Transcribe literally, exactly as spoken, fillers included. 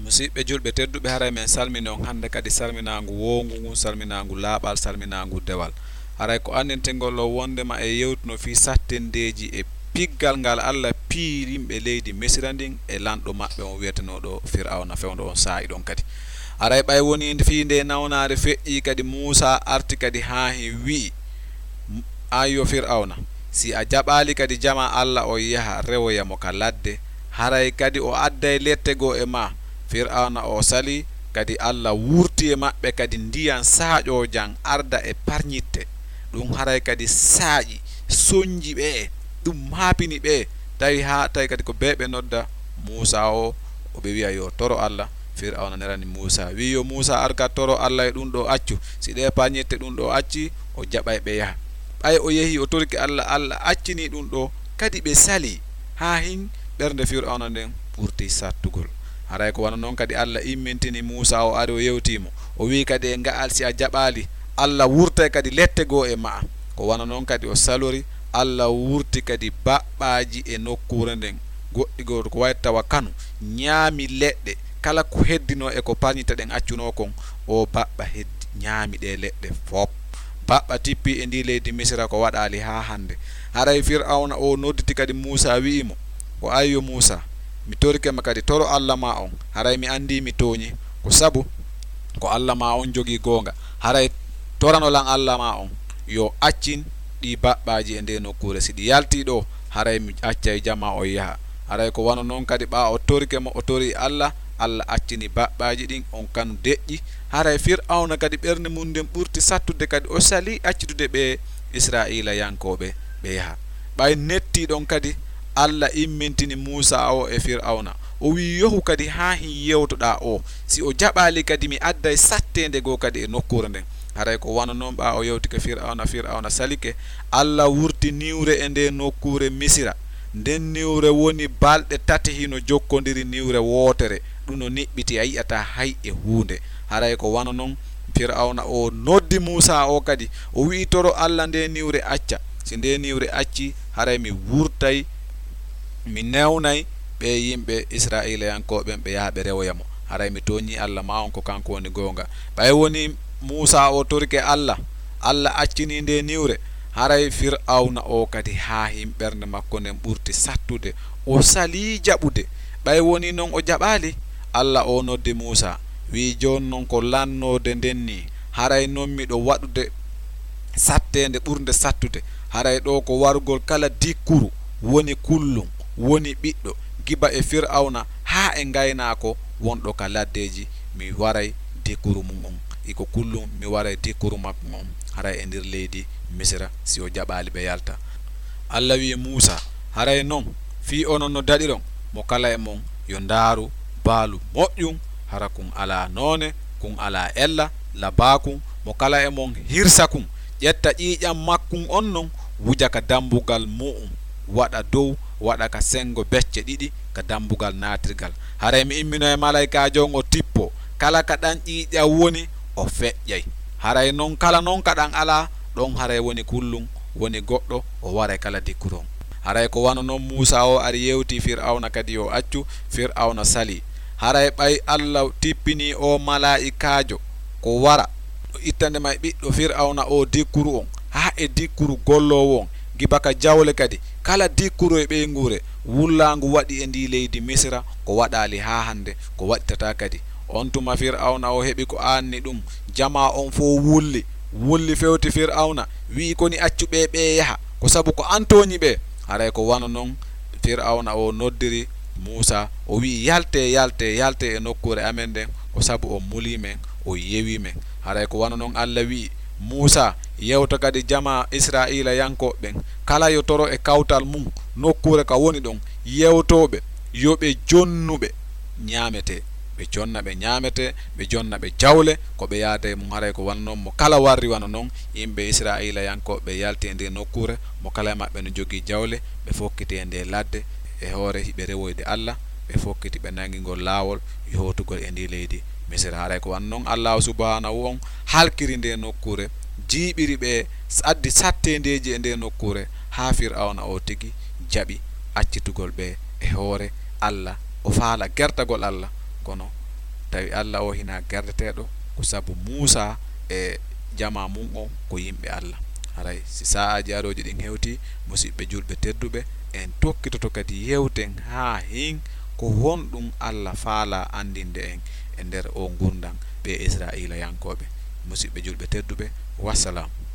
Musiɓɓe julɓe tedduɓe, haray men salmini on hannde kadi salminaangu woongu ngun, salminaangu laaɓal, salminaangu dewal. Haray ko anndintingol o wondema e yewtuno fii sattendeeji e piggal ngal Alla piiri yimɓe leydi Misira ndin e lanɗo maɓɓe on wi'etenooɗo Fir'awna fewndo on saa'i ɗon kadi. Haray ɓay wonii fii nde nawnaare feƴƴii kadi, Muusaa arti kadi haa hin wi'i, "An yo Fir'awna, si a jaɓaali kadi jamaa Alla on yaha rewoya mo ka ladde, haray kadi o adday lette goo e maa." Fir'awna o salii, kadi Alla wurti e maɓɓe kadi ndiyan saaƴoojan arda e parñitte. Ɗun haray kadi saaƴi, sonji ɓe, ɗun maapini ɓe, tawi haa tawi kadi ko bee ɓe nodda Muusaa o, o ɓe wi'a yo toro Alla. Fir'awna nelani Muusaa, wi'i yo Muusaa ar ka toro Alla e ɗun ɗoo accu, si ɗee parñitte ɗun ɗoo accii, o jaɓay ɓe yaha. Ɓay o yehii o torike Alla, Alla accinii ɗun ɗoo, kadi ɓe salii, haa hin ɓernde Fir'awna nden ɓurti sattugol. Haray ko wano non kadi Alla immintini Muusaa, o ari o yewtii mo. O wi'i kadi e nga'al, si a jaɓaali, Alla wurtay kadi lette goo e ma'a. Ko wano non kadi o salori, Alla wurti kadi baɓɓaaji e nokkuure nden. Goɗɗi goo ko wa'i tawa kanu, ɲaami leɗɗe, kala ko heddinoo e ko parñitte ɗen accunoo kon, o baɓɓa heddi, ɲaami ɗee leɗɗe fow. Baɓɓa tippii e ndii leydi Misira ko waɗaali haa hannde. Haray Fir'awna o nodditi kadi Muusaa, wi'i mo, "Ko ayyo Muusaa, mi torike ma kadi, toro Alla maa on, haray mi anndii mi tooɲii, ko sabu ko Alla maa on jogii goonga. Haray torano lan Alla maa on, yo accin ɗii baɓɓaaji e ndee nokkuure. Si ɗi yaltii ɗoo, haray mi accay jamaa on yaha." Haray ko wano non kadi, ɓaa o torike mo, o torii Alla, Alla accini baɓɓaaji ɗin, on kanu deƴƴi. Haray Fir'awna kadi ɓernde mun nden ɓurti sattude kadi, o salii accitude ɓee Israa'iilayankooɓe ɓe yaha. Ɓay nettii ɗon kadi, Alla immintini Muusaa o e Fir'awna. O wi'i, "Yohu kadi haa hin yewtoɗaa o. Si o jaɓaali kadi, mi adday satteende goo kadi e nokkuure nden." Haray ko wano non, ɓaa o yewtike Fir'awna, Fir'awna salike. Alla wurti niwre e ndee nokkuure Misira. Nden niwre woni balɗe tati hino jokkondiri niwre wootere. Ɗun no niɓɓiti, a yi'ataa hay e huunde. Haray ko wano non, Fir'awna o noddi Muusaa o kadi, o wi'i, "Toro Alla ndee niwre acca. Si ndee niwre accii, haray mi wurtay, mi newnay ɓee yimɓe Israa'iilayankooɓe ɓen, ɓe yaha ɓe rewoya mo. Haray mi tooɲii Alla maa on, ko kanko woni goonga." Ɓay wonii Muusaa o torike Alla, Alla accinii ndee niwre, haray Fir'awna o kadi haa hin ɓernde makko nden ɓurti sattude, o salii jaɓude. Ɓay wonii non o jaɓaali, Alla o noddi Muusaa, wi'i, "Jooni non ko lannoode nden nii, haray non miɗo waɗude satteende ɓurnde sattude. Haray ɗoo ko warugol kala dikkuru, woni kullum, woni ɓiɗɗo, giba e Fir'awna haa e ngaynaako wonɗo ka laddeeji, mi waray dikkuru mun on. Iko kullum mi waray dikkuru makko on, haray e nder leydi Misira, si o jaɓaali ɓe yalta." Alla wi'i Muusaa, "Haray non, fii onon no daɗiron, mo kala e mon yo ndaaru baalu moƴƴum, hara kun alaa noone, kun alaa ella, labaa kun, mo kala e mon hirsa kun, ƴetta ƴiiƴan makkun on non, wuja ka dambugal mu'un, waɗa dow, waɗa ka sengo becce ɗiɗi ka dambugal naatirgal. Haray mi immino e malaykaajo on o tippoo, kala ka ɗan ƴiiƴan woni, o feƴƴay. Haray non kala non ka ɗan alaa, ɗon haray woni kullum, woni goɗɗo, o waray kala dikkuru on." Haray ko wano non Muusaa o ari yewtii Fir'awna kadi yo accu, Fir'awna salii. Haray ɓay Alla tippinii oo malaa'ikaajo ko wara, o ittande may ɓiɗɗo Fir'awna oo dikkuru on, haa e dikkuru golloowo on, giba ka jawle kadi, kala dikkuru e ɓeynguure, wullaangu waɗi e ndii leydi Misira, ko waɗaali haa hannde, ko waɗitataa kadi. On tuma Fir'awna o heɓi ko aanni ɗum, jamaa on fow wulli, wulli fewti Fir'awna, wi'i, "Koni accu ɓee, ɓee yaha, ko sabu ko an tooɲi ɓe." Haray ko wano non Fir'awna o noddiri Muusaa, o wi'i, "Yaltee, yaltee, yaltee e nokkuure amen nden, ko sabu on mulii men, on yewii men." Haray ko wano non Alla wi'i Muusaa, "Yewta kadi jamaa Israa'iilayankooɓe ɓen, kala yo toro e kawtal mun nokkuure ka woni ɗon, yewtoo ɓe, yo ɓe jonnu ɓe ɲaametee." Ɓe jonna ɓe ɲaametee, ɓe jonna ɓe jawle, ko ɓe yaada e mun. Haray ko wano non, mo kala warri wano non, yimɓe Israa'iilayankooɓe ɓe yalti e ndee nokkuure, mo kala e maɓɓe no jogii jawle, ɓe fokkiti e ndee ladde, e hoore hiɓe rewoyde Alla, ɓe fokkiti ɓe nangi ngol laawol yootugol e ndii leydi Misira. Haray ko wano non Allaahu Subhaanahu on halkiri ndee nokkuure, jiiɓiri ɓe, addi satteendeeji e ndee nokkuure, haa Fir'awna o tigi jaɓi accitugol ɓe e hoore Alla, o faala gertagol Alla, kono Tawi Alla o hina gardeteeɗo ko sabu Muusaa e jamaa mum on ko yimɓe Alla. Haray si saa'aaji arooji ɗin hewtii, musiɓɓe julɓe tedduɓe, en tokkitoto kadi yewten haa hin ko honɗum Alla faalaa anndinde en e nder oo ngurndan ɓee Israa'iilayankooɓe. Musiɓɓe julɓe tedduɓe, wassalaamu.